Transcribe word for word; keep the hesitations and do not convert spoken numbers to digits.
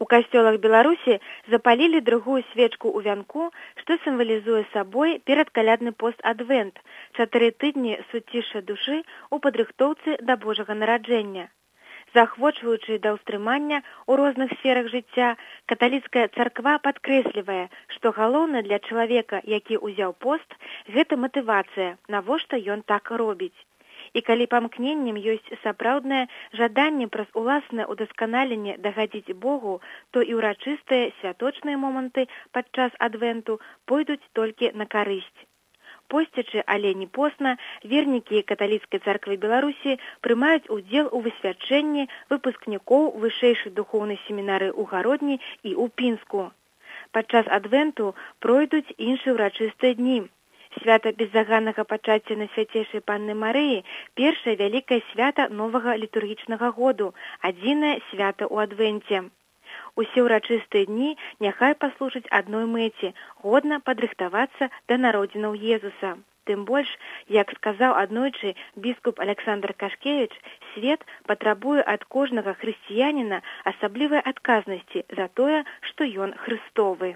У касцёлах Беларусі запалілі другую свечку ў вянку, што сімвалізуе сабой перадкалядны пост Адвент, чатыры тыдні суцішша душы ў падрыхтоўцы да Божага нараджэння. Заахвочваючы да ўстрымання ў розных сферах жыцця, каталіцкая царква падкрэслівае, што галоўнае для чалавека, які ўзяў пост, гэта матывацыя, навошта ён так робіць. І калі памкненнем ёсць сапраўднае жаданне праз уласнае ўдасканаленне дагадзіць Богу, то і ўрачыстыя святочныя моманты падчас адвенту пойдуць толькі на карысць. Посцячы, але не посна, вернікі каталіцкай царквы Беларусі прымаюць удзел у высвячэнні выпускнікоў вышэйшай духоўнай семінары ў Гародні і ў Пінску. Падчас адвенту пройдуць іншыя ўрачыстыя дні. Свята беззаганнага пачацця на свяцейшай Панны Марыі – першае вялікае свята новага літургічнага году, адзінае свята ў адвенце. Усе ўрачыстыя дні няхай паслужаць адной мэце – годна падрыхтавацца да народзінаў Езуса. Тым больш, як сказаў аднойчы біскуп Александр Кашкевіч, свет патрабуе ад кожнага хрысціяніна асаблівай адказнасці за тое, што ён хрыстовы.